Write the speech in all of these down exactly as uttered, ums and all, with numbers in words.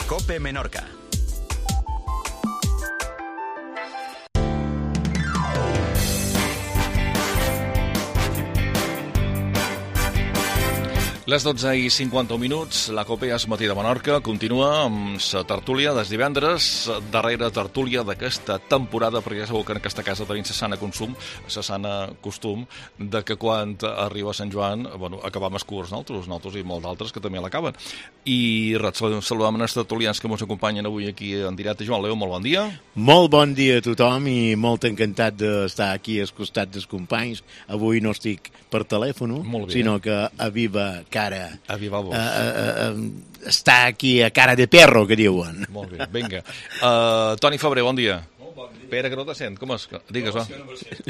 COPE Menorca. Les dotze i cinquanta minuts, la COPE és Matí de Menorca, continua amb la tertúlia des divendres, darrera tertúlia d'aquesta temporada, perquè ja sabeu que en aquesta casa tenim la sana consum, la sana costum, de que quan arriba Sant Joan, bueno, acabam els curs nosaltres, nosaltres i molts d'altres que també l'acaben. I res, saludem els tertulians que ens acompanyen avui aquí en directe. Joan Leo, molt bon dia. Molt bon dia a tothom i molt encantat d'estar aquí al costat dels companys. Avui no estic per telèfon, sinó que a viva cara. A viva voz. Uh, uh, uh, està aquí a cara de perro, que diuen. Molt bé, vinga. Uh, Toni Febrer, bon dia. Molt bon dia. Espera, que no te sent. Com és? Digues, va.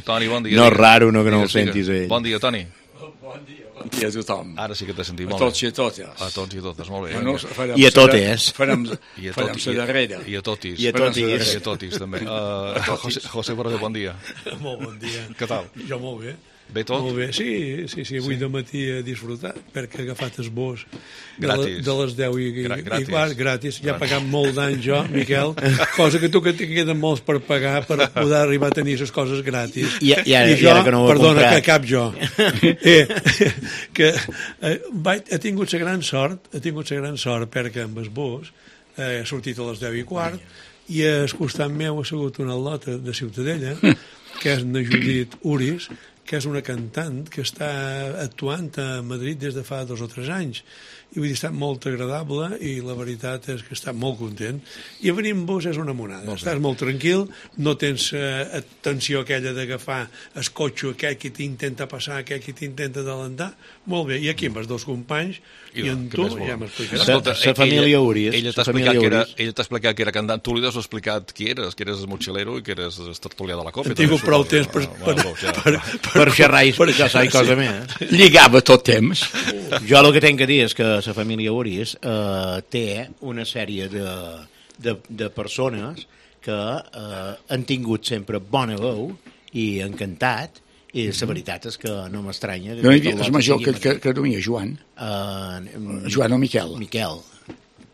Toni, bon dia. No és raro no, que no ho sentis ell. Bon dia, Toni. Bon dia, bon dia a tothom. Ara sí que t'he sentit molt bé. A tots i a totes. A tots i a totes, molt bé. Bueno, I a totes. Farem la darrera. I a totis. I a totis. I a totis, també. Uh, José, José Borrell, bon dia. Molt bon dia. Què tal? Jo molt bé. Bé tot? Molt bé, sí, sí, sí, avui sí. De matí he disfrutat, perquè he agafat esbós de, gratis. La, de les deu i, i, gratis. i quart, gratis. Ja he pagat molt d'anys jo, Miquel, cosa que tu que te queden molts per pagar per poder arribar a tenir les coses gratis. I, i, ara, I jo, i ara que no ho he perdona, comprat. que cap jo. eh, que eh, vaig, he tingut la gran sort, he tingut la gran sort perquè amb esbós eh, he sortit a les deu i quart i al costat meu ha sigut una al·lota de Ciutadella, que és na Judit Uris, que és una cantant que està actuant a Madrid des de fa dos o tres anys. I vull dir, està molt agradable i la veritat és que està molt content. I a venir amb vos és una monada. Molt Estàs molt tranquil, no tens eh, tensió aquella d'agafar el cotxe, aquell que t'intenta passar, aquell que t'intenta adelantar. Molt bé, i aquí amb els dos companys i, i en tu ja m'explicaràs. La família Uris. Ella t'ha explicat, que era, ella t'ha explicat que era cantant. Tu li has explicat qui eres, que eres el mochilero i que eres el tertulià de la COPE. He tingut prou temps per, per, per, per, per xerrar i explicar i cosa més. Lligava tot temps. Jo el que tinc que dir és que la família Uris eh, té una sèrie de, de, de persones que eh, han tingut sempre bona veu i encantat, i la veritat és que no m'estranya. No hi havia el major que, que, que duia Joan. Uh, Joan o Miquel. Miquel.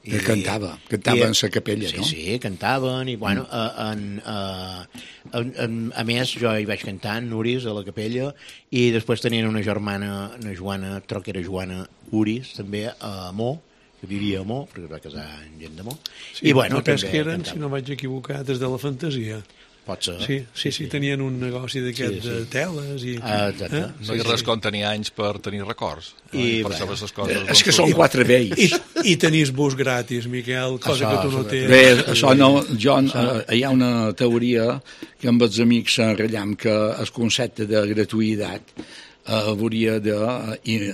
Que cantava, cantava en la capella, sí, no? Sí, sí, cantaven, i bueno, mm. en, en, en, en, a més jo hi vaig cantar en Uris a la capella, i després tenien una germana, una Joana, troc que era Joana Uris, també a Mó, que vivia a Mó, perquè es va casar amb gent de Mó. Sí, i bueno, no també que eren, cantava. Si no vaig equivocar, des de la fantasia. Pot ser. Sí, sí, sí, tenien un negoci d'aquest sí, sí. de teles i... Ah, exacte. Eh? No hi ha res com tenir anys per tenir records. I, per saber les coses. És que són quatre vells. I, i tenís bus gratis, Miquel, cosa això, que tu no tens. Bé, això no, jo, hi ha una teoria que amb els amics s'enratllam, que el concepte de gratuïtat eh, hauria de... Eh,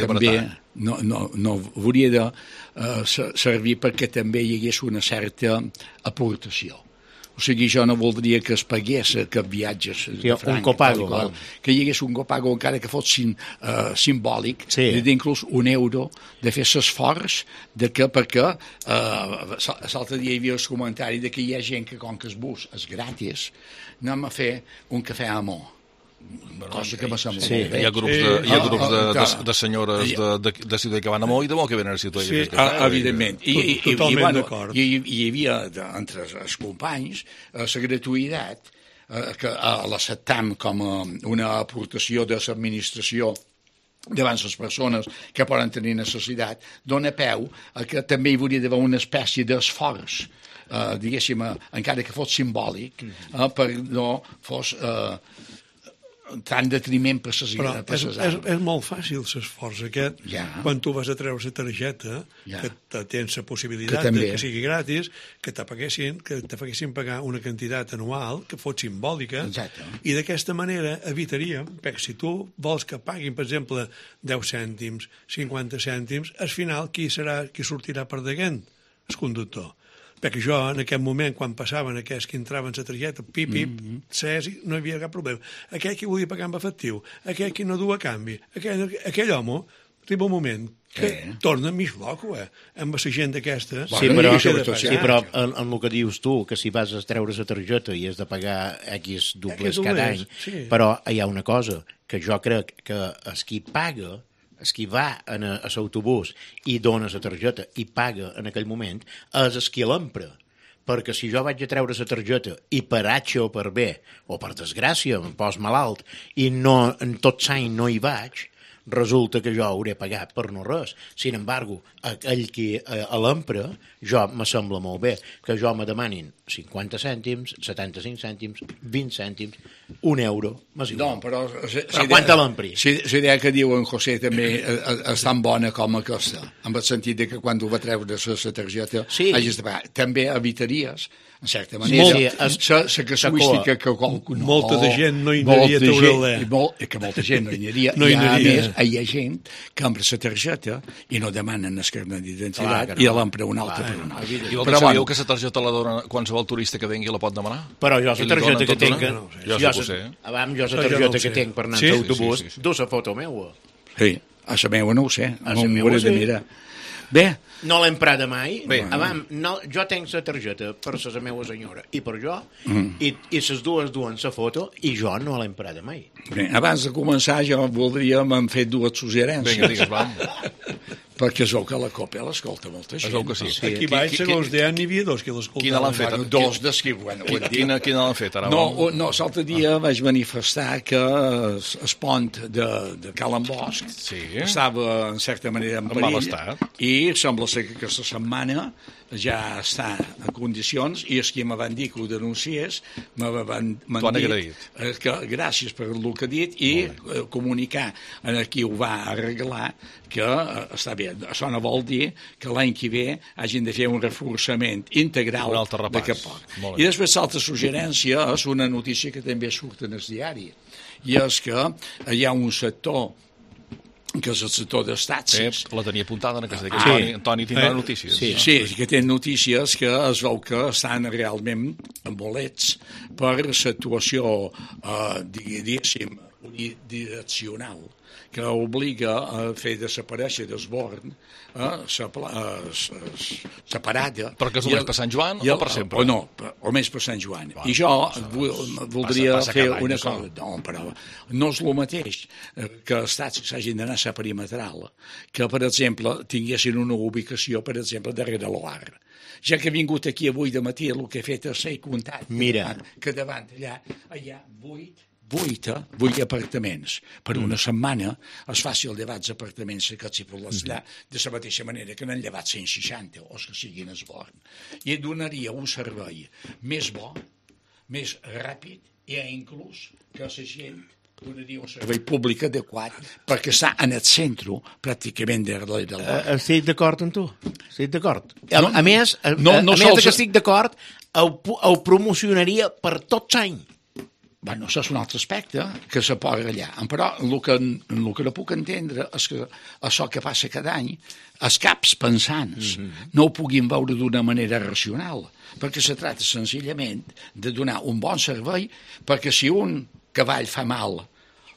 també, no, no, no, hauria de eh, servir perquè també hi hagués una certa aportació. O sigui, jo no voldria que es pagués aquest viatges sí, de franc, un copago, qual, que hi hagués un copago encara que fos sim, uh, simbòlic, sí. d'inclús un euro, de fer l'esforç de que, perquè uh, l'altre dia hi havia el comentari de que hi ha gent que com que el bus és gratis, anem a fer un cafè a Mó. Cosa que m'ha semblat sí, molt bé. Hi ha grups de, hi ha grups de, de, de senyores de, de, de Ciutat que van a Mó i de Mó que venen a Ciutat. Sí, evidentment. I, i, i, i, bueno, i, i hi havia entre els companys la gratuïtat eh, que l'acceptam com a una aportació de l'administració davant les persones que poden tenir necessitat, dona peu a que també hi hauria d'haver una espècie d'esforç, eh, diguéssim, encara que fos simbòlic, eh, per no fos... Eh, tant detriment per ses però és, és, és molt fàcil l'esforç aquest ja. Quan tu vas a treure la targeta ja. Que tens la possibilitat que, de que sigui gratis, que te paguessin que te paguessin pagar una quantitat anual que fos simbòlica. Exacte. I d'aquesta manera evitaríem, perquè si tu vols que paguin, per exemple, deu cèntims, cinquanta cèntims, al final qui serà qui sortirà perdent? El conductor. Perquè jo, en aquest moment, quan passaven aquells que entraven la targeta, pip, pip, mm -hmm. ses, no hi havia cap problema. Aquell que volia pagar amb efectiu, aquell que no du a canvi, aquell, aquell home, arriba un moment que eh. torna mig loco, eh? Amb la gent d'aquesta... Sí, però, sí, però en, en el que dius tu, que si vas a treure la targeta i has de pagar X dobles cada any, sí. Però hi ha una cosa, que jo crec que el qui paga el qui va a l'autobús i dona la targeta i paga en aquell moment, és el qui l'empra. Perquè si jo vaig a treure la targeta i per H o per B, o per desgràcia, em pos malalt, i no, en tot l'any no hi vaig, resulta que jo hauré pagat per no res. Sin embargo, aquell qui a l'empra, jo me sembla molt bé que jo me demanin cinquanta cèntims, setanta-cinc cèntims, vint cèntims, un euro, m'és igual. No, però... Si, però si quant te l'empri? Si, si idea que diu en José també és tan bona com aquesta, en el sentit de que quan tu va treure la targeta sí. hagis de pagar. També evitaries, en certa manera, sí, sí, la casuística que qualcú no... Molta de gent no hi anaria a treure-la. Molt, que molta gent no hi anaria. No hi anaria. I a més, hi ha gent que empra la targeta i no demanen el carnet d'identitat no. i l'empra una altra per una altra. I vosaltres sabíeu que la targeta la dona qualsevol turista que vengui la pot demanar? Però jo la targeta que tinc... No, jo jo sé. Abans jo la targeta que tinc per anar sí? en l'autobús, sí, sí, sí. du la foto meua. Sí, a la meua no ho sé. A la meua sí. Mirar. Bé. No l'he emprada mai. Bé. Abans, no, jo tinc la targeta per la meva senyora i per jo, mm. i, i les dues duen la foto, i jo no l'he emprada mai. Bé, abans de començar, jo voldria, m'han fet dues suggerències. Vinga, digues, vam. Perquè es veu que la Copia l'escolta molta gent. Es veu que sí. sí. Aquí baix, segons deien, n'hi havia dos que l'escoltaven. Quina l'han fet? Bueno, dos des que... Bueno, quina, quina l'han fet, ara? No, no l'altre dia ah. vaig manifestar que el pont de, de Calen Bosch sí. estava, en certa manera, en perill. I sembla ser que aquesta setmana ja està en condicions, i els que me van dir que ho denunciés me van, van dir que gràcies per el que ha dit i eh, comunicar a qui ho va arreglar que eh, està bé. Això no vol dir que l'any que ve hagin de fer un reforçament integral d'aquest port. I després l'altra suggerència és una notícia que també surt en el diari, i és que hi ha un sector que és el sector d'estats. Sí, la tenia apuntada en aquesta, que ah, Antoni, Antoni tindrà eh, notícies. Sí, no? Sí, que té notícies que es veu que estan realment bolets per l'actuació, eh, diguéssim, unidireccional, que obliga a fer desaparèixer d'Esborn eh, separada. Però que és només per Sant Joan el, o per sempre? O no, o més per Sant Joan. Va, I jo voldria passa, passa fer any, una cosa. No, però no és el mateix que els estats s'hagin d'anar a la perimetral, que, per exemple, tinguessin una ubicació, per exemple, darrere l'Oar. Ja que he vingut aquí avui de matí, el que he fet és ser comptat. Mira. Que davant allà hi ha vuit vuit, vuit apartaments. Per una setmana és fàcil llevar els apartaments que s'hi poden allà, de la mateixa manera que n'han llevat cent seixanta, o que siguin Esborn. I et donaria un servei més bo, més ràpid, i inclús que la gent donaria un servei públic adequat perquè està en el centre pràcticament de l'Esborn. Estic d'acord amb tu, estic d'acord. A, no, a més, a, no, no a, a més que estic d'acord, ho, ho promocionaria per tot l'any. Bueno, això és un altre aspecte que se posa allà. Però el que, el que no puc entendre és que això que passa cada any, els caps pensants mm-hmm. no ho puguin veure d'una manera racional, perquè se tracta senzillament de donar un bon servei, perquè si un cavall fa mal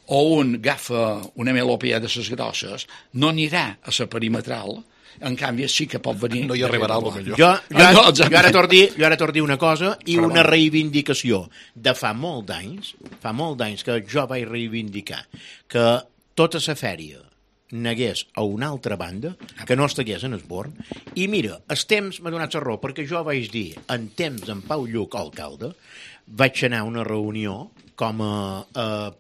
o un agafa una melopea de ses grosses, no anirà a la perimetral. En canvi, sí que pot venir... No hi arribarà el millor. Jo, jo, ah, no, jo ara t'ho dir, jo ara t'ho dir una cosa i Però una reivindicació de fa molt d'anys, fa molt d'anys que jo vaig reivindicar que tota la fèria negués a una altra banda, que no estigués en Esborn, i mira, el temps m'ha donat la raó, perquè jo vaig dir, en temps d'en Pau Lluc, alcalde, vaig anar a una reunió com a... a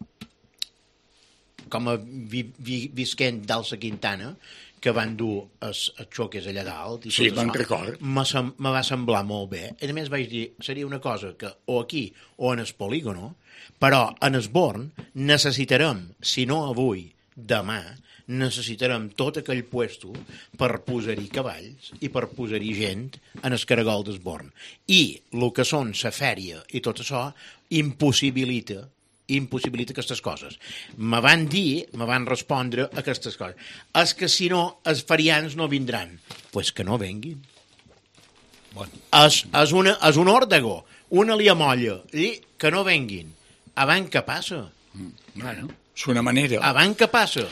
com a vi, vi, visquent d'Alça Quintana, que van dur els xoques allà dalt. I sí, me'n record. Me va semblar molt bé. A més vaig dir, seria una cosa que o aquí o en el polígono, però en Esborn necessitarem, si no avui, demà, necessitarem tot aquell puesto per posar-hi cavalls i per posar-hi gent en el caragol d'Esborn. I el que són la fèria i tot això impossibilita impossibilita aquestes coses. Me van dir, me van respondre aquestes coses. És que si no, els ferians no vindran. Doncs pues que no venguin. Bueno. És, és, una, és un òrdego, una liamolla, i que no venguin. Abans què passa? Mm. Bueno, és una manera. Abans què passa?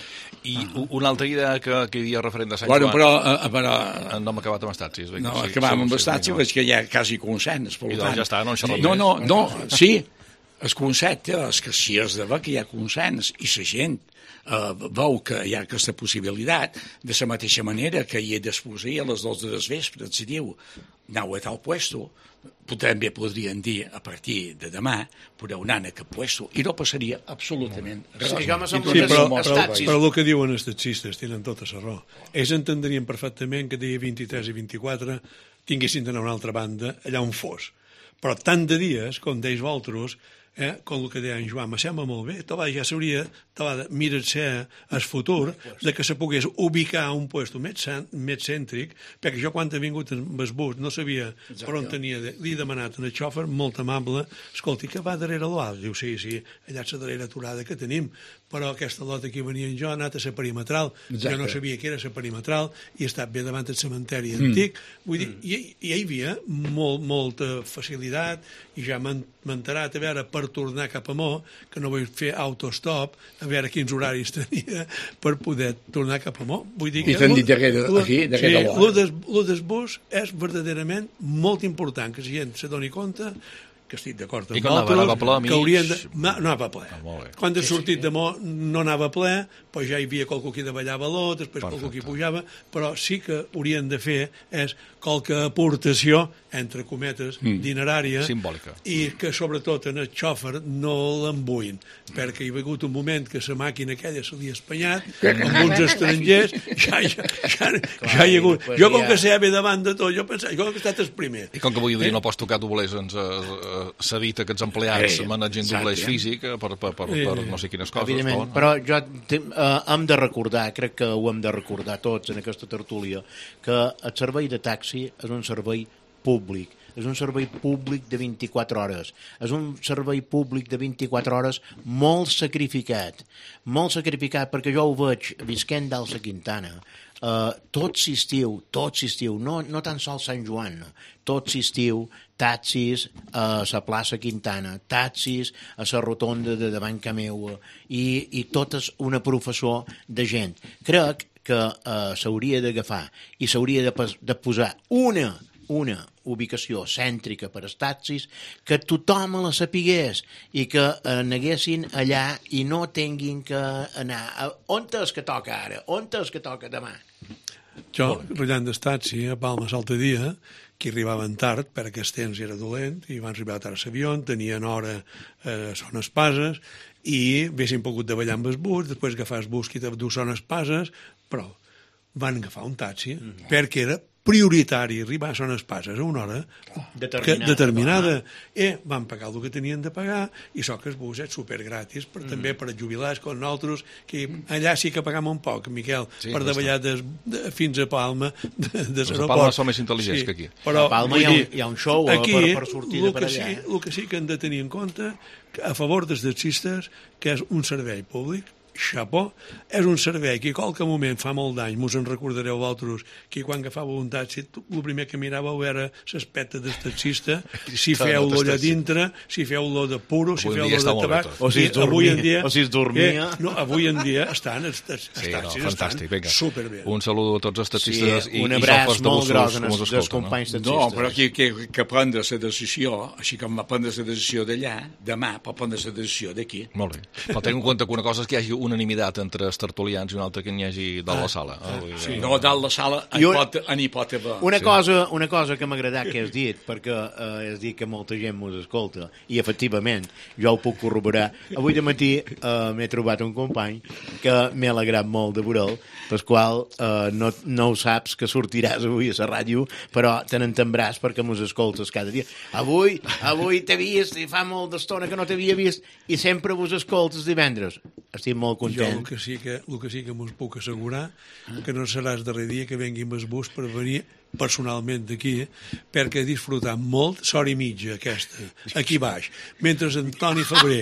I ah. una altra idea que, que hi havia referent de Sant bueno, Joan... Però, uh, però... No hem acabat amb Estatsis. No, sí, acabam sí, amb Estatsis, sí, és que hi ha quasi consens. I doncs ja està, no en xerrem no, no, no, sí, el concepte és que si es de que hi ha consens i la gent Uh, veu que hi ha aquesta possibilitat, de la mateixa manera que hi ha d'exposar a les dos de les vespres, si diu, aneu a tal puesto, també podrien dir, a partir de demà, podeu anar a aquest puesto, i no passaria absolutament res. Sí, sí, però, però, però el que diuen els taxistes tenen tota la raó. Ells entendrien perfectament que dia vint-i-tres i vint-i-quatre tinguessin d'anar a una altra banda, allà on fos. Però tant de dies, com d'ells vosaltres, eh, com el que deia en Joan, me sembla molt bé, tova, ja s'hauria de mirar-se el futur de que se pogués ubicar a un lloc més, més cèntric, perquè jo quan he vingut amb el bus no sabia Exacte. Per on tenia, de, li he demanat al xòfer, molt amable, escolti, que va darrere l'Oal? Diu, sí, sí, allà és la darrera aturada que tenim, però aquesta lota que venia jo ha anat a la perimetral, Exacte. Jo no sabia que era la perimetral i he estat bé davant del cementeri mm. antic, vull dir, mm. i, i hi havia molt, molta facilitat i ja m'han enterat a veure per tornar cap a Mo, que no vull fer autostop, a veure quins horaris tenia per poder tornar cap a Mo. Vull dir que I t'han dit aquí, d'aquesta hora. Lo del bus és verdaderament molt important, que la gent se doni compte que estic d'acord amb vosaltres, que haurien de... No, no anava ple. Ah, quan he sortit de Mo no anava ple, però ja hi havia qualcú que davallava l'O, després Perfecte. Qualcú que pujava, però sí que haurien de fer és qualque aportació, entre cometes, mm. dinerària, simbòlica, i que sobretot en el xòfer no l'embuïn, perquè hi ha hagut un moment que la màquina aquella se li ha espanyat, amb uns estrangers, ja, ja, ja, ja hi ha hagut... Jo com que sé bé davant de tot, jo pensava, jo que he estat el primer. I com que avui dia no pots tocar doblers, ens s'ha dit que els empleats eh, manegin doblers físic per, per, per, per, per no sé quines coses. Evidentment, però jo uh, hem de recordar, crec que ho hem de recordar tots en aquesta tertúlia, que el servei de taxi és un servei públic, és un servei públic de vint-i-quatre hores, és un servei públic de vint-i-quatre hores molt sacrificat, molt sacrificat perquè jo ho veig visquent dalt la Quintana, uh, tot l'estiu, tot l'estiu, no, no tan sols Sant Joan, tot l'estiu, taxis a la plaça Quintana, taxis a la rotonda de davant ca meua, i, i tot és una professó de gent. Crec que uh, s'hauria d'agafar i s'hauria de, de posar una una ubicació cèntrica per als taxis, que tothom la sapigués i que aneguessin allà i no tinguin que anar a, on és que toca ara, on és que toca demà. Jo, rotllant del taxi a Palma l'altre dia, que arribaven tard, perquè el temps era dolent, i van arribar tard a l'avió, tenien hora a Son Espases, i haguessin pogut davallar amb el bus, després agafar el bus que du Son Espases, però van agafar un taxi, mm. perquè era prioritari arribar a Son Espases a una hora determinada, que, determinada. i van pagar el que tenien de pagar i so que el bus és supergratis per, mm. també per als jubilats com nosaltres, que allà sí que pagam un poc, Miquel, sí, per davallar de, de, fins a Palma de, de l'aeroport. A Palma són més intel·ligents sí, que aquí. Però, a Palma hi ha, un, hi ha un show aquí, per, per sortir de per allà. Sí, el que sí que hem de tenir en compte a favor dels taxistes, que és un servei públic, xapó, és un servei que a qualque moment fa molt d'any, mos en recordareu vosaltres, que quan agafava un taxi, el primer que miràveu era l'aspecte del taxista, si feu lo allà dintre, si feu lo de puro, si feu lo de tabac, o si es dormia, dia, o si es dormia. Eh, no, avui en dia estan, els, els sí, taxis no, fantàstic, estan superbé. Un saludo a tots els taxistes sí, i, un abraç molt gros als companys taxistes. No, però aquí que, que prendre la decisió, així com va prendre la decisió d'allà, demà pot prendre la decisió d'aquí. Molt bé. Però tenint en compte que una cosa és que hi hagi unanimitat entre els tertulians i una altra que n'hi hagi dalt la sala. Ah, ah, sí. No, dalt la sala en un, pot, en hi pot haver. Una, sí. cosa, una cosa que m'ha agradat que has dit, perquè eh, has dit que molta gent mos escolta, i efectivament, jo ho puc corroborar. Avui de matí eh, m'he trobat un company que m'he alegrat molt de veure'l, pel qual eh, no, no ho saps que sortiràs avui a la ràdio, però te n'entembràs perquè mos escoltes cada dia. Avui, avui t'he vist i fa molt d'estona que no t'havia vist i sempre vos escoltes divendres. Estic molt content. Jo el que sí que, el que, sí que m'ho puc assegurar que no serà el darrer dia que vengui amb el bus per venir personalment d'aquí, perquè he disfrutat molt, s'hora i mitja aquesta, aquí baix, mentre Antoni Febrer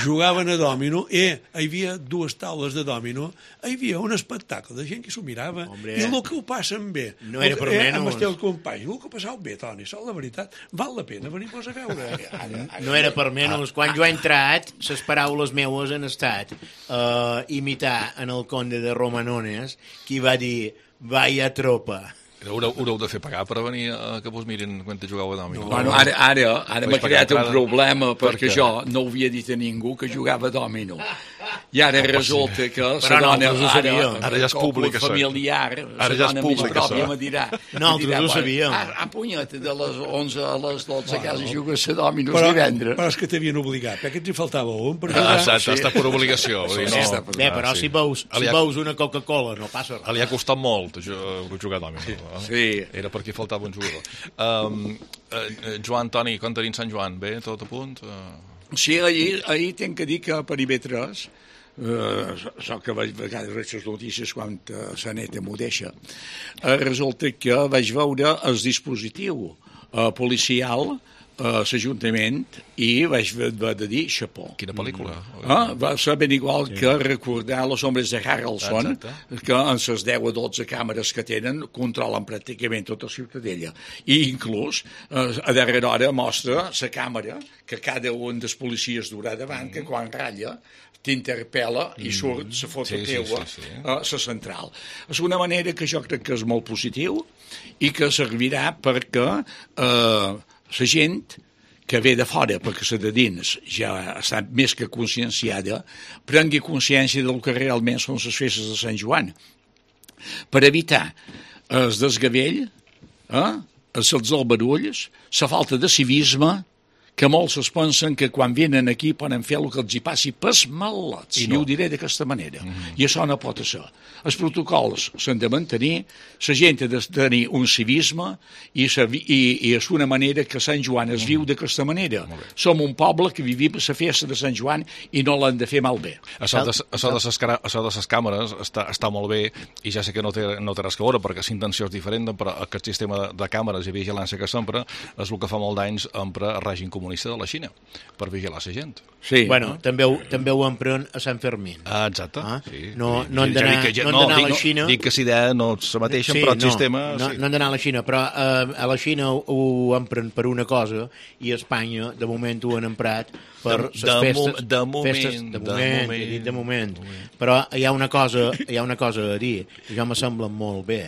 jugaven a dòmino, i hi havia dues taules de dòmino, hi havia un espectacle de gent que s'ho mirava, Hombre, i el que ho passen bé, no era per eh, menys. Amb els teus companys, el que ho passau bé, Toni, sol la veritat, val la pena venir-vos a veure. No era per menys, quan jo he entrat, les paraules meues han estat uh, imitar en el conde de Romanones, qui va dir, vaya tropa. Haureu, haureu de fer pagar per venir a que vos mirin quan te jugueu a dòmino. No, bueno, ara ara, ara m'ha creat un problema perquè per jo no ho havia dit a ningú que jugava a dòmino. I ara resulta que la dona... No, ara, ara ja és públic, això. Familiar, ara ja és públic, més pròpia me dirà... No, nosaltres ho sabíem. A, a punyeta, de les onze a les dotze a casa jugues a dòmino divendres. Però és que t'havien obligat, perquè ens hi faltava un. Ah, exacte, està per obligació. Bé, però si veus una Coca-Cola no passa res. Li ha costat molt jugar a dòmino. Sí. Era perquè faltava un jugador. Um, uh, Joan, Toni, com tenim Sant Joan? Bé, tot a punt? Uh... Sí, ahir, ahir tinc que dir que per I B tres, uh, so que vaig vegades veig les notícies quan uh, la neta m'ho deixa, uh, resulta que vaig veure el dispositiu uh, policial a l'Ajuntament i vaig haver de dir xapó. Quina pel·lícula? Ah, va ser ben igual sí. que recordar les ombres de Harrelson, exacte. Que en les deu o dotze càmeres que tenen controlen pràcticament tota la ciutadella. I inclús eh, a darrera hora mostra la càmera que cada un dels policies durà davant, mm. que quan ratlla t'interpel·la i surt la foto sí, teua sí, sí, sí. a la central. És una manera que jo crec que és molt positiu i que servirà perquè eh, la gent que ve de fora, perquè la de dins ja està més que conscienciada, prengui consciència del que realment són les festes de Sant Joan. Per evitar el desgavell, eh, els albarulls, la falta de civisme, que molts es pensen que quan venen aquí poden fer el que els hi passi pels malots, i, no. I ho diré d'aquesta manera. Mm-hmm. I això no pot ser. Els protocols s'han de mantenir, la gent ha de tenir un civisme i, i, i és una manera que Sant Joan es viu d'aquesta manera. Som un poble que vivim la festa de Sant Joan i no l'han de fer malbé. Això de, això de, ses, això de ses càmeres està, està molt bé i ja sé que no té, no té res que veure perquè la intenció és diferent, però aquest sistema de, de càmeres i vigilància que s'empra és el que fa molt d'anys empra el règim comunista de la Xina per vigilar la gent. Sí. Bueno, també ho, també ho empren a Sant Fermín. Ah, exacte. Ah? Sí. No, no han d'anar ja, no, no, a la Xina... Dic que si idea no és la mateixa, sí, però el no, sistema... No, sí. no han d'anar a la Xina, però eh, a la Xina ho, ho empren per una cosa i a Espanya, de moment, ho han emprat per les de, festes... De, de moment, festes, de, de moment, moment, de, de moment. De moment. Però hi ha una cosa, hi ha una cosa a dir, que jo me sembla molt bé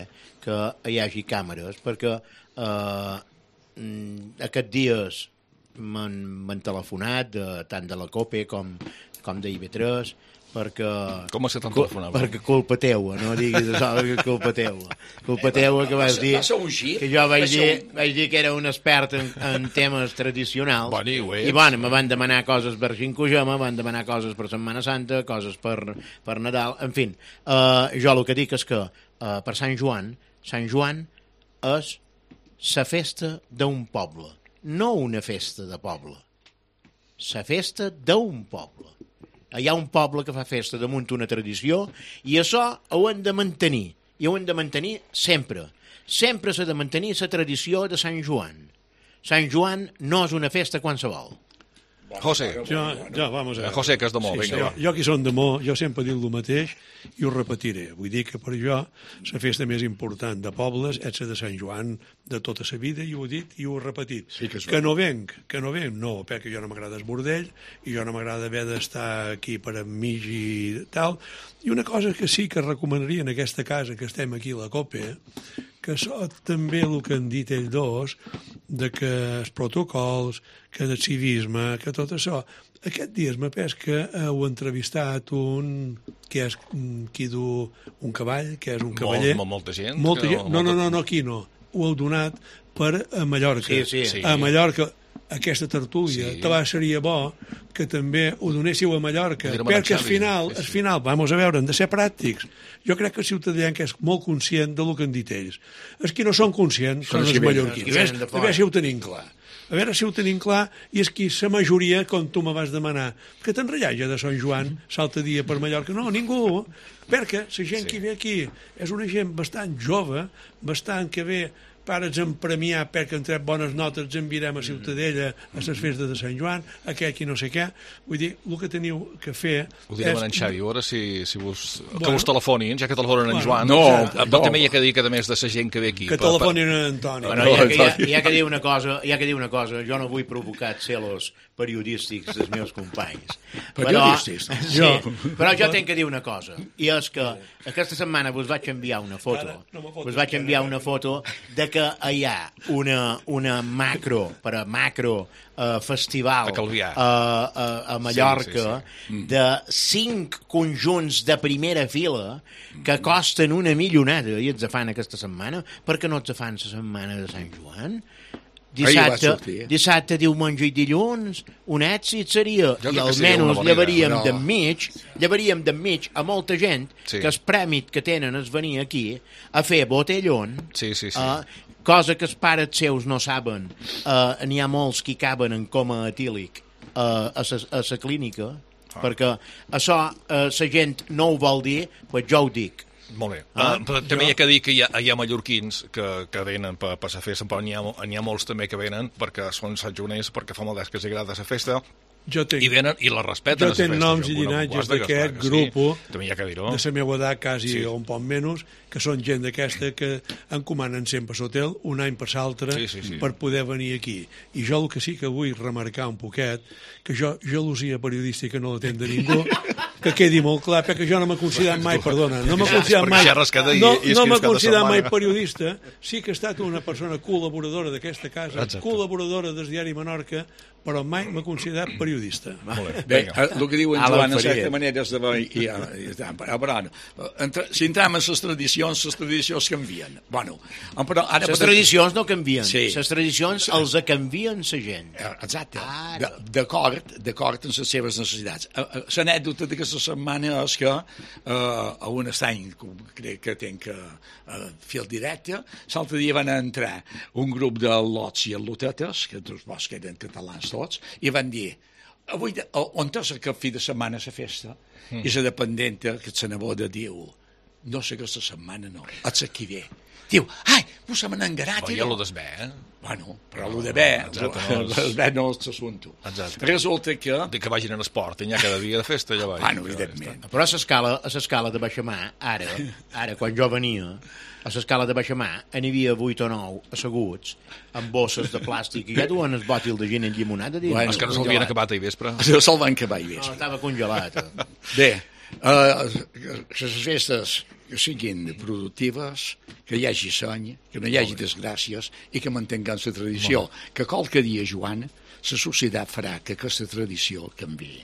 que hi hagi càmeres, perquè eh, aquests dies m'han telefonat de, tant de la COPE com, com de I B tres perquè... Com se t'han telefonat? Perquè culpa teua, no diguis això, que culpa teua. Culpa teua que vas dir... Que jo vaig dir, vaig dir que era un expert en, en temes tradicionals. Bon, i, I bueno, me van demanar coses per Xincojama, me van demanar coses per Setmana Santa, coses per, per Nadal, en fi. Uh, jo el que dic és que uh, per Sant Joan, Sant Joan és la festa d'un poble. No una festa de poble, la festa d'un poble. Hi ha un poble que fa festa damunt una tradició i això ho hem de mantenir, i ho hem de mantenir sempre. Sempre s'ha de mantenir la tradició de Sant Joan. Sant Joan no és una festa qualsevol. José. Jo, jo, vamos a ver. José, que és de Mó, sí, vinga. Sí, jo, jo que som de Mó, jo sempre dic el mateix i ho repetiré. Vull dir que per jo la festa més important de pobles és la de Sant Joan de tota la vida, i ho he dit i ho he repetit. Sí que, que no venc, que no venc, no, perquè jo no m'agrada el bordell i jo no m'agrada haver d'estar aquí per enmig i tal. I una cosa que sí que recomanaria en aquesta casa que estem aquí a la COPE, que això també el que han dit ells dos, de que els protocols, que el civisme, que tot això. Aquest dia m'ha pes que heu entrevistat un que és qui du un cavall, que és un cavaller. Molt, molta gent. Molta gent. No, no, no, no, aquí no. Ho heu donat per a Mallorca. Sí, sí. sí. A Mallorca, aquesta tertúlia, sí. Te seria bo que també ho donéssiu a Mallorca, perquè al final, al final, vamos a veure, hem de ser pràctics. Jo crec que el ciutadà que és molt conscient del que han dit ells. Els que no són conscients són els mallorquins. A veure si ho tenim clar. A veure si ho tenim clar, i és que la majoria, com tu me vas demanar, que t'enrellage de Sant Joan, salta dia per Mallorca. No, ningú, perquè la gent sí. que ve aquí és una gent bastant jove, bastant que ve pares en premiar perquè han tret bones notes, ens enviarem a Ciutadella a les festes de Sant Joan, aquell qui no sé què. Vull dir, el que teniu que fer... Ho direm és... en Xavi, a veure si, si vos... Bueno, que vos telefonin, ja que telefonen en bueno, Joan. No, no, no. També hi ha que dir que, a més de la gent que ve aquí... Que telefonin en Antoni. Bueno, hi ha, hi, ha, hi, ha que dir una cosa, hi ha que dir una cosa, jo no vull provocar celos periodístics dels meus companys. Periodístics? Però, sí, jo. Però jo tenc que dir una cosa, i és que aquesta setmana vos vaig enviar una foto, vos vaig enviar una foto de que hi ha una, una macro, per a macro, uh, festival a, uh, a, a Mallorca, sí, sí, sí. de cinc conjunts de primera fila que costen una milionada i els fan aquesta setmana. Per què no els fan la setmana de Sant Joan? Dissabte, dissabte, diumenge i dilluns, un èxit seria, i almenys llevaríem però... d'enmig, llevaríem d'enmig a molta gent sí. que el prèmit que tenen és venir aquí a fer botellón, sí, sí, sí. Uh, cosa que els pares seus no saben. Uh, n'hi ha molts que caben en coma etílic uh, a la clínica, ah. perquè això uh, la gent no ho vol dir, pues jo ho dic. Molt bé. Ah, uh, també jo... hi ha que dir que hi ha, hi ha mallorquins que, que venen per, per la festa, però n'hi ha, n'hi ha molts també que venen perquè són santjoners, perquè fa molt d'ès que els agrada la festa, jo tenc, i venen i la respeten. Jo tenc noms i llinatges d'aquest grup sí, de la meva edat, quasi sí. un poc menys, que són gent d'aquesta que encomanen sempre l'hotel un any per l'altre sí, sí, sí. per poder venir aquí. I jo el que sí que vull remarcar un poquet, que jo gelosia periodística no la tenc de ningú, que quedi molt clar, perquè jo no m'he considerat mai, perdona, no m'he considerat mai, no, no m'he considerat mai periodista, sí que he estat una persona col·laboradora d'aquesta casa, Exacte. col·laboradora del diari Menorca, però mai m'he considerat periodista. Bé, el que diu en Joan, en certa manera, és de veure... I, i, i, però, entre, si entrem en les tradicions, les tradicions canvien. Bueno, però ara... Les tradicions no canvien, sí. Les tradicions els canvien la gent. Exacte, d'acord, d'acord amb les seves necessitats. L'anècdota d'aquesta setmana és que eh, a un estany, crec que tenc que eh, fer el directe, l'altre dia van entrar un grup de lots i lotetes, que tots vos que eren catalans tots, i van dir, avui, on és el cap fi de setmana la festa? Mm. I la dependenta, que la neboda, diu, no sé aquesta setmana no, és qui ve. Diu, ai, vos se m'han engarat. Però hi ha lo d'esbé, eh? Bueno, però lo de bé, l'esbé no és l'assumpte. Resulta que... De que vagin a l'esport, hi ha cada dia de festa, ja vaig. Bueno, evidentment. Però a l'escala, a l'escala de baixamà, ara, ara, quan jo venia, a l'escala de baixamà, n'hi havia vuit o nou asseguts amb bosses de plàstic i ja duen el bòtil de gin enllimonat. Bueno, és que no s'havien acabat ahir vespre. No se'l van acabar ahir vespre. No, estava congelat. Bé, uh, les festes que siguin productives, que hi hagi seny, que no hi hagi desgràcies i que mantinguem la tradició. Que qualque dia, Joan, la societat farà que aquesta tradició canvi.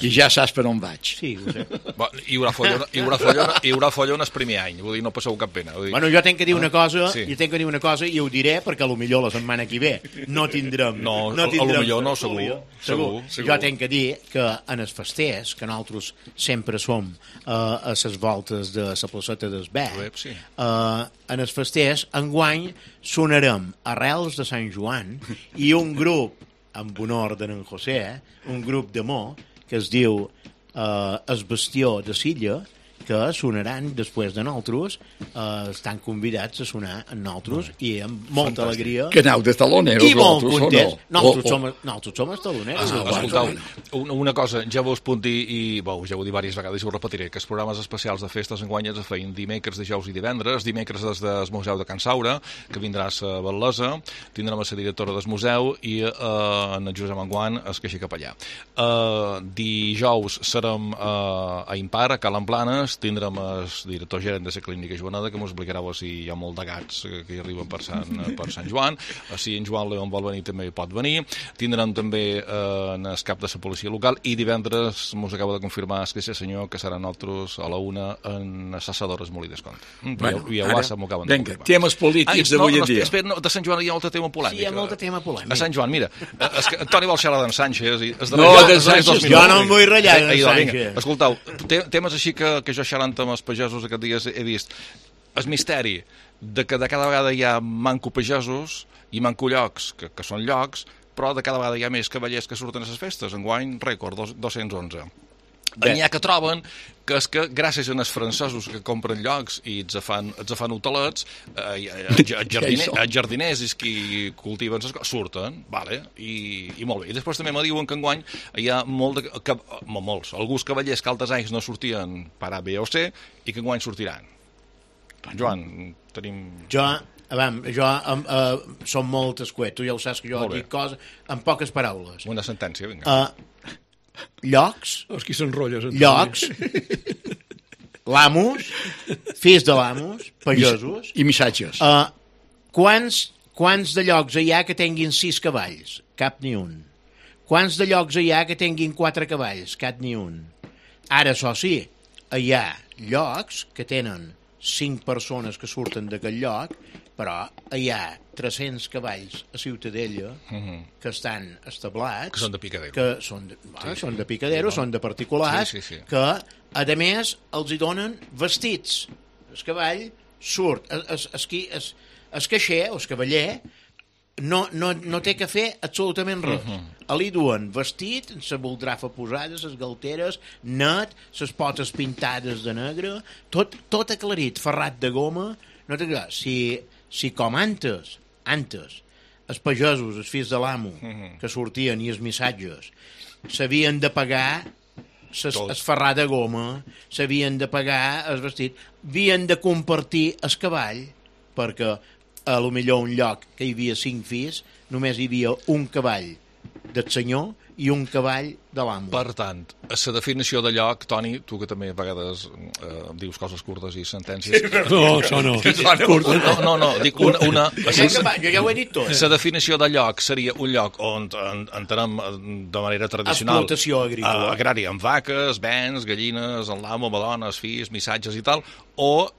I ja saps per on vaig. Sí, ho sé. Bon, hi haurà follona, hi haurà follona, hi haurà follona el primer any, vull dir, no passeu cap pena. Vull dir... Bueno, jo tenc que dir una cosa, sí. jo tenc que dir una cosa i ho diré perquè a lo millor la setmana que ve no tindrem... No, no tindrem, a lo millor no, segur, segur, segur, segur. Jo tenc que dir que en els festers, que nosaltres sempre som uh, a les voltes de la placeta d'Esbert, sí. uh, en els festers, enguany sonarem Arrels de Sant Joan i un grup amb honor d'en José, un grup d'amor que es diu eh, Es Bastió de Silla, que sonaran després de nosaltres, eh, estan convidats a sonar amb nosaltres i amb molta Fantàstic. Alegria. Que aneu de taloneros, i molt contents. No? Nosaltres, oh, oh. Som, nosaltres som els taloneros. Ah, escoltau, una cosa, ja vos puc dir, i bo, ja ho he dit diverses vegades i ho repetiré, que els programes especials de festes enguany es feien dimecres, dijous i divendres, dimecres des del Museu de Can Saura, que vindràs a Batlesa, tindrem la directora del museu i eh, en Josep Manguant es queixi cap allà. Eh, dijous serem eh, a Impar, a Calen Planes, tindrem el director gerent de la clínica Joaneda, que ens explicarà si hi ha molt de gats que hi arriben per Sant, per Sant Joan. Si en Joan León vol venir també pot venir. Tindrem també eh, en el cap de la policia local i divendres ens acaba de confirmar el que sé senyor que seran nosaltres a la una en Assassadores Molí d'Escont. Bueno, I a UASA m'ho acaben de venga, confirmar. Temes polítics d'avui no, en dia. Espera, no, de Sant Joan hi ha molt tema polèmic. Sí, hi ha molt tema polèmic. A Sant Joan, mira, es que Toni vol xerrar d'en Sánchez i es no, de Sánchez, jo no em vull ratllar d'en Sánchez. Escoltau, temes així que, que jo xerrant amb els pagesos aquests dies he vist el misteri de que de cada vegada hi ha manco pagesos i manco llocs, que, que són llocs, però de cada vegada hi ha més cavallers que surten a les festes. Enguany, rècord, dos-cents onze. n'hi ha que troben que és que gràcies als francesos que compren llocs i els fan, els fan hotelets, eh, jardiner, jardiners i qui cultiven les coses, surten, vale, i, i molt bé. I després també me diuen que enguany hi ha molt de, que, molts, alguns cavallers que altres anys no sortien per A, B o C i que enguany sortiran. Joan, tenim... Jo, avam, jo um, uh, som molt escuet, tu ja ho saps que jo dic coses en poques paraules. Una sentència, vinga. Uh, llocs, els qui s'enrotlles, llocs, l'amos, fills de l'amos, pagesos... I missatges. Uh, quants, quants de llocs hi ha que tinguin sis cavalls? Cap ni un. Quants de llocs hi ha que tinguin quatre cavalls? Cap ni un. Ara, això sí, hi ha llocs que tenen cinc persones que surten d'aquest lloc, però hi ha tres-cents cavalls a Ciutadella uh-huh. que estan establats... Que són de picadero. Que són de, bueno, sí, són de picadero, sí, són de particulars, sí, sí, sí. que, a més, els hi donen vestits. El cavall surt, es, es, es, es caixer, o el cavaller, no, no, no té que fer absolutament res. Uh-huh. Li duen vestit, la boldrafa posada, les galteres, net, les potes pintades de negre, tot, tot aclarit, ferrat de goma. No té que... Si, si com antes, antes, els pagesos, els fills de l'amo, uh-huh. que sortien i els missatges, s'havien de pagar es ferrar de goma, s'havien de pagar el vestit, havien de compartir el cavall, perquè a lo millor un lloc que hi havia cinc fills, només hi havia un cavall del senyor i un cavall de l'amo. Per tant, a la definició de lloc, Toni, tu que també a vegades eh, dius coses curtes i sentències... Sí, no, això no. No, no, no, dic una... una jo, jo ja ho he dit tot. La definició de lloc seria un lloc on entenem de manera tradicional... Explotació agrícola. Agrària, amb vaques, bens, gallines, en l'amo, dones, fills, missatges i tal, o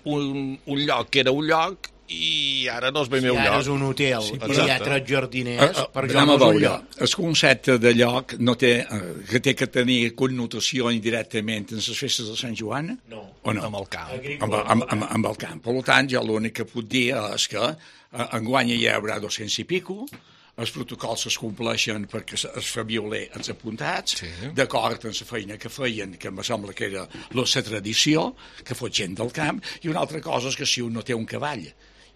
un, un lloc que era un lloc i ara no és ben meu lloc. I ara és un hotel, sí, i hi ha tres jardiners, uh, uh, per jo no és un lloc. El concepte de lloc no té, uh, que té que tenir connotació indirectament en les festes de Sant Joan? No. O no? Amb el camp. Amb, amb, amb, amb el camp. Per tant, jo l'únic que puc dir és que uh, enguany hi haurà dos-cents i pico, els protocols es compleixen perquè es fa violer els apuntats, sí. D'acord amb la feina que feien, que em sembla que era la tradició, que fos gent del camp, i una altra cosa és que si un no té un cavall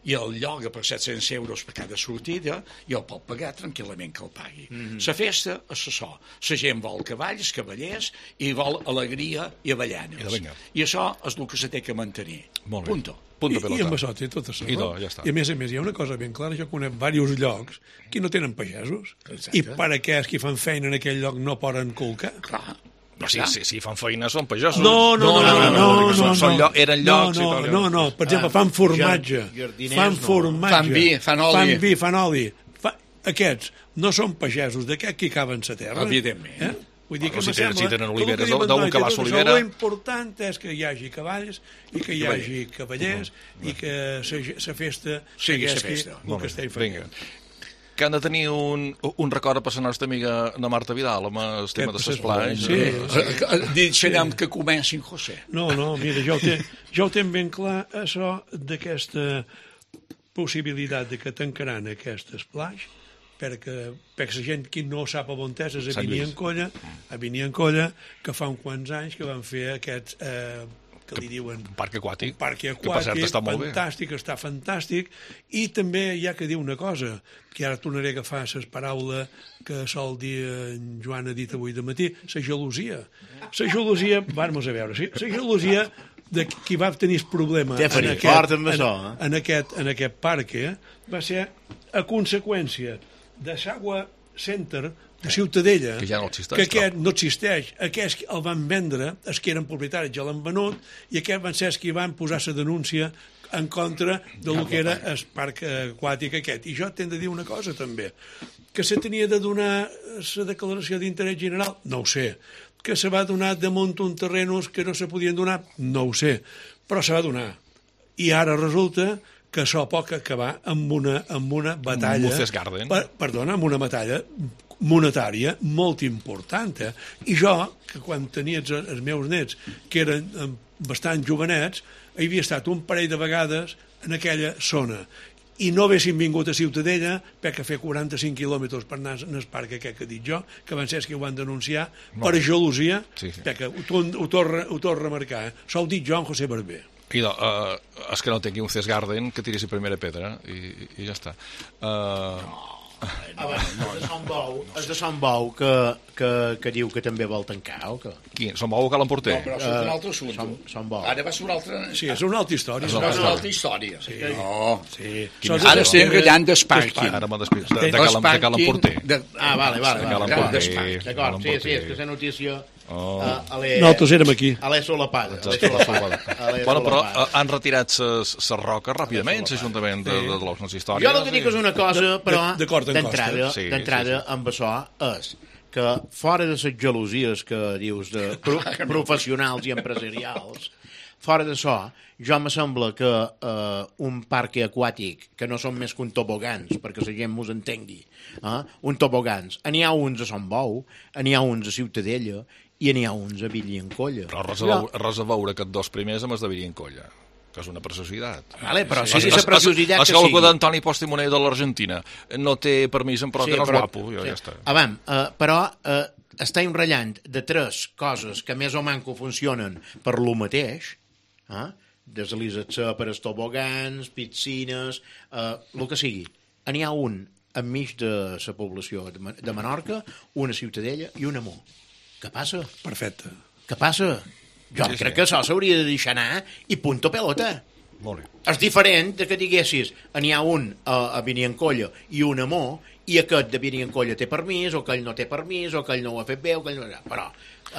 i el lloga per set-cents euros per cada sortida, i el pot pagar tranquil·lament que el pagui. La mm-hmm. festa és això. La gent vol cavalls, cavallers, i vol alegria i avellanes. I, I això és el que se té que mantenir. Molt bé. Punto. I, I amb això té tot això. I, do, ja està. I a més a més hi ha una cosa ben clara, jo conec diversos llocs que no tenen pagesos. Exacte. I per aquells que fan feina en aquell lloc no poden colcar. Clar. Però si, si, si fan feina són pagesos. No, no, no, no, no, no, no, són, són lloc, eren llocs no, no, i tal. No, no, per exemple, fan formatge, fan formatge, fan vi, fan oli. Fan vi, fan oli. Fa... Aquests no són pagesos, d'aquests que caben la terra. Evidentment. Eh? Vull dir que si, sembla, si tenen oliveres d'un que va a l'olivera... L'important és que hi hagi cavalls i que hi hagi cavallers i que la festa segueixi el que estem fent. Que han de tenir un, un record per la nostra amiga na Marta Vidal amb el tema de l'esplai. Sí. Deixarem que comencin, José. No, no, mira, jo ho tenc, jo ho tenc ben clar, això d'aquesta possibilitat de que tancaran aquest esplai, perquè, perquè la gent que no sap on és, és a Beniencolla, a Beniencolla, que fa uns quants anys que van fer aquests... Eh, que li diuen... Un parc aquàtic. Un parc aquàtic, està fantàstic, està fantàstic, i també hi ha que dir una cosa, que ara tornaré a agafar les paraules que sol dir en Joan ha dit avui de matí, la gelosia. La gelosia, vamos a veure, sí, la gelosia de qui va tenir el problema en aquest, en, en, aquest, en aquest parc eh, va ser a conseqüència de l'Agua Center de Ciutadella, que ja no existeix, que aquest no existeix, aquests el van vendre, els que eren propietaris ja l'han venut, i aquests van ser els que van posar la denúncia en contra de lo que era el parc aquàtic aquest. I jo t'hem de dir una cosa també, que se tenia de donar la declaració d'interès general, no ho sé, que se va donar damunt un terrenos que no se podien donar, no ho sé, però se va donar. I ara resulta que això pot acabar amb una, amb una batalla... Per, perdona, amb una batalla monetària molt important. Eh? I jo, que quan tenia els, els meus nets, que eren bastant jovenets, havia estat un parell de vegades en aquella zona. i no haguessin vingut a Ciutadella perquè fer quaranta-cinc quilòmetres per anar al parc aquest que he dit jo, que van ser els que ho van denunciar per gelosia, sí, sí. perquè ho, ho, torna, ho torna a remarcar. Eh? S'ho dit jo en José Barber. Idò, uh, és que no tingui un Cesc Garden que tiri la primera pedra i, i ja està. Uh... Ah, bueno, no, és de Sant Bou, és de Sant Bou que, que, que diu que també vol tancar, o què? Qui? Sant Bou o Cal Emporter? No, però és un altre assumpte. Sant, Sant Bou. Ara va ser una altra... Sí, és una altra història. És una altra història. Sí. No. Sí. Ara estem rellant d'Esparking. Ara m'ho despís. De, de, de Cal Emporter. De... Ah, vale, vale. De Cal Emporter. D'acord, sí, sí, és que la notícia... Oh. Uh, ale... Nosaltres érem aquí. A l'E Solapada. Bueno, però uh, han retirat les roques ràpidament, l'Ajuntament de, de, de l'Osnes Història. Jo el que dic és una cosa, però d'entrada sí, d'entrada sí, sí. amb això és que fora de les gelosies que dius de pro professionals i empresarials, fora d'això, jo me sembla que eh, un parc aquàtic, que no són més que un tobogans, perquè la gent mos entengui, eh? un tobogans, n'hi ha uns a Sant Bou, n'hi ha uns a Ciutadella, i n'hi ha uns a Villancolla. Però res a, veure, res a veure aquests dos primers amb els de Villancolla, que és una preciositat. Vale, però sí, sí, la preciositat que sigui. És d'Antoni Postimoner de l'Argentina. No té permís, però sí, que no és però, guapo. Ja, sí. ja està. Avam, uh, però uh, estem ratllant de tres coses que més o manco funcionen per lo mateix, eh? Deslizar-se per els tobogans, piscines, uh, el que sigui. N'hi ha un enmig de la població de Menorca, una Ciutadella i un Amor. Què passa? Perfecte. Què passa? Jo sí, crec sí. que això s'hauria de deixar anar i punto pelota. Molt bé. És diferent de que diguessis n'hi ha un a, a Villancolla i un Amor, i aquest de Villancolla té permís, o aquell no té permís, o aquell no ho ha fet bé, o aquell no... Però,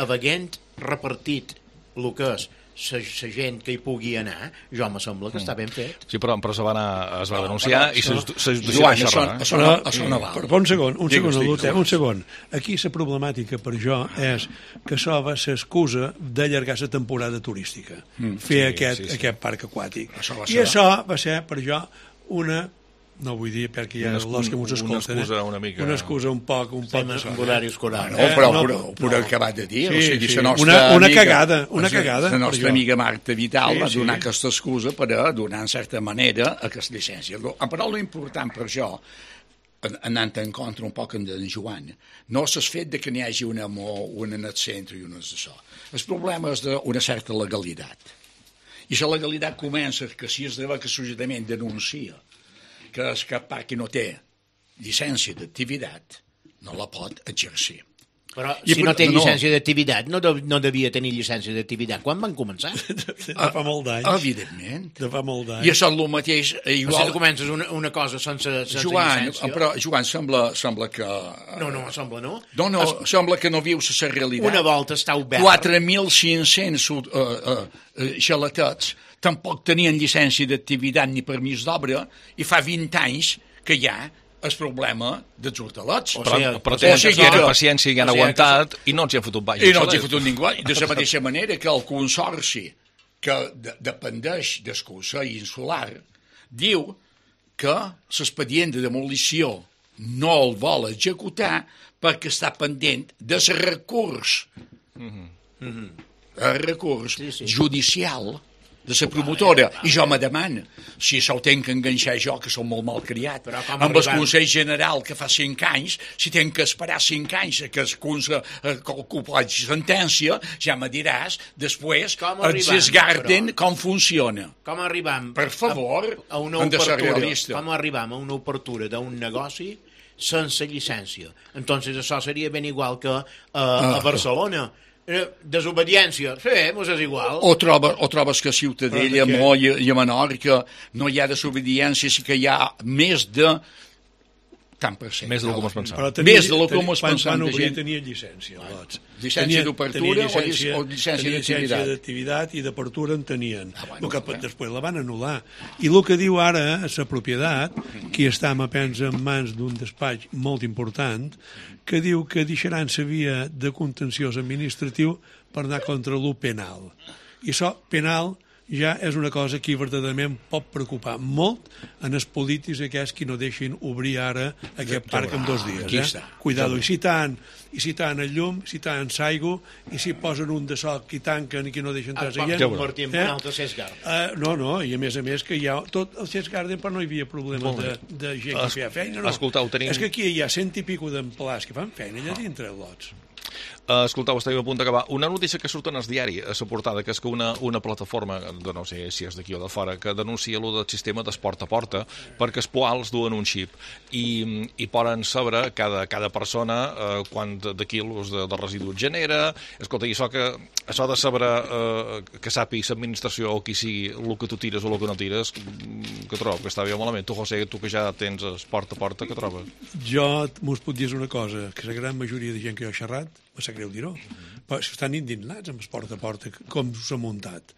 havent repartit el que és la gent que hi pugui anar, jo me sembla que mm. està ben fet. Sí, però, però se va anar, es va denunciar no, i se deixa Joan, això, això, no, això no val. Però un segon, un segon, Lute, un segon. Aquí la problemàtica per jo és que això va ser excusa d'allargar la temporada turística, mm, fer sí, aquest, sí, sí. aquest parc aquàtic. Això I això va ser per jo una... No vull dir, perquè hi ha els que ens escolten. Una excusa una mica... Una excusa un poc... Un poc sí, en horari escolar. No, però ho no, no. acabat de dir. Sí, o sigui, sí. nostra una, una amiga, cagada, una cagada. La nostra amiga Marta Vital sí, va donar sí. aquesta excusa per a donar, en certa manera, aquesta llicència. Però l'important per això, anant en contra un poc d'en Joan, no és el fet de que n'hi hagi un Amor, un en el centre i un en això. El problema és d'una certa legalitat. I la legalitat comença que si es deu que l'Ajuntament denuncia que és cap parc que no té llicència d'activitat, no la pot exercir. Però I si per, no té llicència no, d'activitat, no, de, no devia tenir llicència d'activitat. Quan van començar? De, de fa molt d'anys. Evidentment. De fa molt d'anys. I això és el mateix... Igual... O sigui, comences una, una cosa sense, sense Joan, llicència. Però, Joan, sembla, sembla que... No, no, sembla no. No, no, es... sembla que no vius la realitat. Una volta està obert. quatre mil cinc-cents uh, uh, uh, xaletets tampoc tenien llicència d'activitat ni permís d'obra i fa vint anys que hi ha el problema dels hortalets. Però, sigui, però tenen o sigui, paciència i han o sigui, aguantat que... i no els hi ha fotut baix. I no els hi ha fotut ningú. De la mateixa manera que el consorci que de, dependeix del Consell Insular diu que l'expedient de demolició no el vol executar perquè està pendent del recurs. Mm-hmm. Mm-hmm. El recurs sí, sí. judicial de la promotora, i jo me demano si se'l tenc que enganxar jo, que som molt malcriat, amb el Consell General que fa cinc anys, si tenc que esperar cinc anys que es compleix sentència, ja me diràs després els esgarten com funciona. Com arribam per favor, a, a una obertura, com arribam a una obertura d'un negoci sense llicència? Entonces això seria ben igual que uh, a Barcelona. Desobediència, sí, mos és igual. O, troba, o trobes que a Ciutadella, a Moll i a Menorca no hi ha desobediència, sí que hi ha més de tant per cent. Més del que mos pensava. Més del que mos pensava. Quan obrir tenia llicència. Doncs. Llicència d'obertura o llicència d'activitat i d'apertura en tenien. Ah, bueno, que okay. Després la van anul·lar. I el que diu ara la propietat, que està, me pensa, en mans d'un despatx molt important, que diu que deixaran la via de contenciós administratiu per anar contra l'u penal. I això, penal, ja és una cosa que verdaderament pot preocupar molt en els polítics aquests que no deixin obrir ara aquest parc en dos dies. Eh? Cuidado, i si tant, i si tant el llum, si tant s'aigua, i si posen un de sol que tanquen i que no deixen entrar gent. Es pot convertir en un altre Sesgarden. Uh, no, no, i a més a més que hi ha tot el Sesgarden, però no hi havia problema de, de gent que feia feina. No. Escoltau, tenim... És que aquí hi ha cent i pico d'empleats que fan feina allà dintre els lots. Uh, escoltau, estàvem a punt d'acabar. Una notícia que surt en el diari a la portada, que és que una, una plataforma, de no sé si és d'aquí o de fora, que denuncia allò del sistema d'esport a porta, perquè els poals duen un xip i, i poden saber cada, cada persona uh, quant de, de quilos de, de residus genera. Escolta, i això, que, això de saber uh, que sàpiga l'administració o qui sigui el que tu tires o el que no tires, que trobo que està bé malament. Tu, José, tu que ja tens esport a porta, què trobes? Jo m'us puc dir una cosa, que la gran majoria de gent que jo he xerrat, me sap greu dir-ho, però estan indignats amb el porta a porta, com s'ha muntat.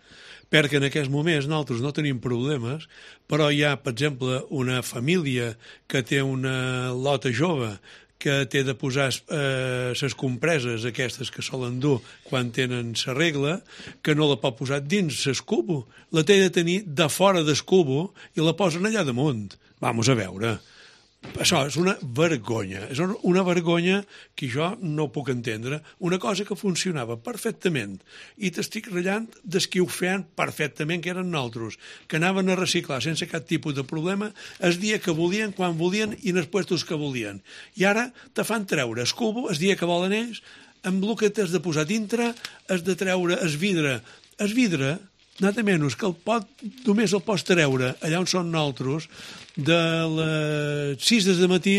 Perquè en aquests moments nosaltres no tenim problemes, però hi ha, per exemple, una família que té una lota jove que té de posar eh, les compreses aquestes que solen dur quan tenen la regla, que no la pot posar dins l'escubo, la té de tenir de fora d'escubo i la posen allà damunt. Vamos a veure. Això és una vergonya, és una vergonya que jo no puc entendre, una cosa que funcionava perfectament i t'estic ratllant des que ho feien perfectament, que eren nosaltres, que anaven a reciclar sense cap tipus de problema el dia que volien, quan volien i en els puestos que volien. I ara te fan treure el cubo el dia que volen ells, amb el que t'has de posar dintre, has de treure el vidre. El vidre, nada menys que el pot, només el pots treure allà on són nosaltres, de les sis de matí,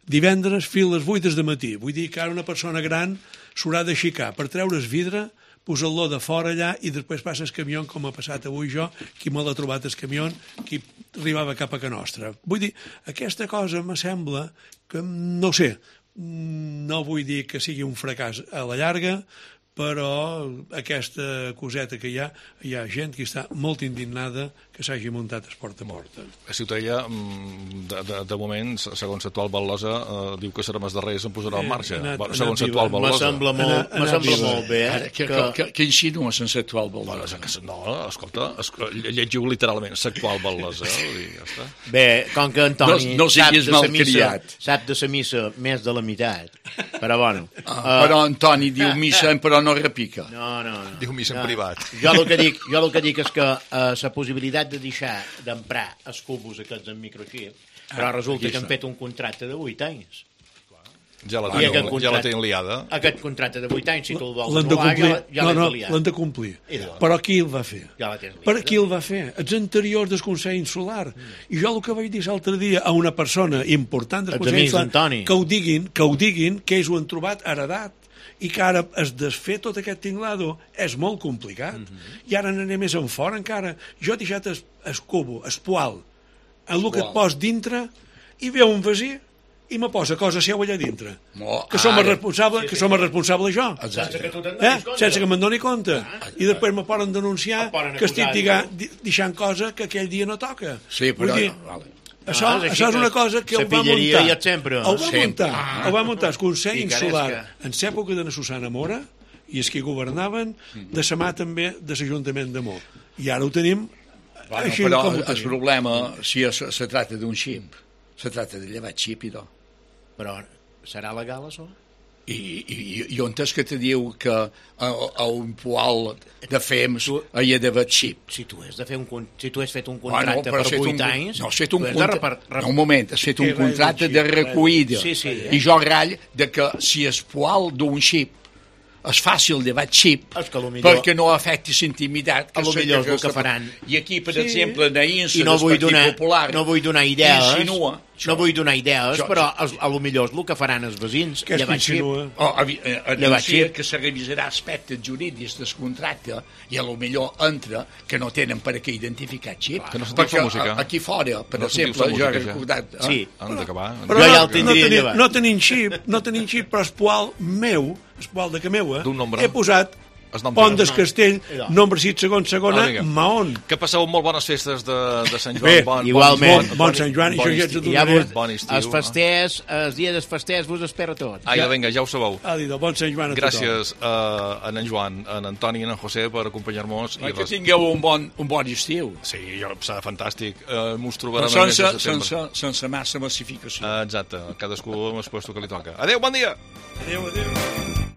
divendres, fins a les vuit de matí. Vull dir que ara una persona gran s'haurà d'aixecar per treure el vidre, posar-lo de fora allà i després passa el camió, com ha passat avui jo, qui me l'ha trobat el camió, qui arribava cap a Can Nostra. Vull dir, aquesta cosa me sembla que, no sé, no vull dir que sigui un fracàs a la llarga, però aquesta coseta que hi ha, hi ha gent que està molt indignada que s'hagi muntat esport a porta. A Ciutadella, de, de, de moment, segons l'actual Val·losa, eh, diu que serà més darrere i se'n posarà en marxa. Anat, bueno, segons l'actual Val·losa. M'assembla molt, m'assembla molt bé. Eh? Que, que, que, que insinua sense l'actual Val·losa. No, escolta, llegiu literalment l'actual Val·losa. Ja està. Bé, com que Antoni no, no siguis sap, de missa, sap de la missa més de la meitat, però bueno. Ah, uh, però Antoni diu missa, però no repica. No, no, no. Diu missa no. en privat. Jo el que dic, jo el que dic és que uh, la possibilitat de deixar d'emprar els cubos aquests en microxip, però resulta que han fet un contracte de vuit anys. Ja la, tenen, contracte, ja la tenen liada. Aquest contracte de vuit anys, si tu el vols l'han de anular, complir. ja, ja no, l'has no, liat. l'han de complir. Però qui el va fer? Ja la tens liada. Per qui el va fer? Els anteriors del Consell Insular. Mm. I jo el que vaig dir l'altre dia a una persona important del Consell Insular, que ho diguin, que ho diguin, que ells ho han trobat heredat, i que ara es desfer tot aquest tinglado és molt complicat. Mm-hmm. I ara n'anem més en fora encara. Jo he deixat el, el cubo, el poal, el que et pos dintre, i veu un vasí i me posa cosa seu allà dintre. Oh, que som responsable, sí, sí. que som responsable jo. Sense que tu te'n eh? Sense que me'n doni compte. Ah, I després me poden denunciar que estic diga, deixant cosa que aquell dia no toca. Sí, però... Dir, vale. Això, ah, això és una cosa que el va muntar. Sempre. El va muntar, el va muntar el Consell Insular en l'època de la Susana Mora i els que governaven, de sa mà també de l'Ajuntament de Mó. I ara ho tenim bueno, així però com ho el problema, si es, se tracta d'un xip, se tracta de llevar xip i tot. Però serà legal, això? I, i, i on és que te diu que a, a un poal de fems tu, hi ha d'haver xip? Si tu has, de fer un, si tu has fet un contracte bueno, per vuit anys... No, has fet un, contra... repart... no, un moment, has fet un contracte de recollida. Sí, sí, eh? I jo rall de que si el poal d'un xip és fàcil de vaig xip millor, perquè no afecti l'intimitat a lo millor és el que faran. I aquí, per sí. exemple, en Aïnsa no del Partit donar, Popular no vull donar idees insinua, no vull donar idees jo, però a lo millor és el que faran els veïns que llevar xip oh, anuncia que se revisarà aspectes jurídics del contracte i a lo millor entra que no tenen per a què identificar xip que no perquè música. Aquí fora, per no exemple jo he recordat ja. sí. han d'acabar però no, no, tenim, no tenim xip no tenim xip però el poal meu el poal de que meua he posat Pont del Castell, nombre sis, segon, segona, Mahón. Que passeu molt bones festes de, de Sant Joan. Bé, bon, igualment. Bon, bon Sant Joan, bon això ja estiu. et Ja donaré. vos, bon estiu. Els festers, els dies dels festers vos espero tots. Ai, ja, vinga, ja ho sabeu. Àdida, bon Sant Joan a tothom. Gràcies a en Joan, a en Antoni i a en José per acompanyar-nos. Que res... tingueu un bon, un bon estiu. Sí, jo, serà fantàstic. Uh, M'ho trobarem sense, el mes de setembre. sense, sense massa massificació. Uh, exacte, cadascú amb el puesto que li toca. Adéu, bon dia! Adéu, adéu.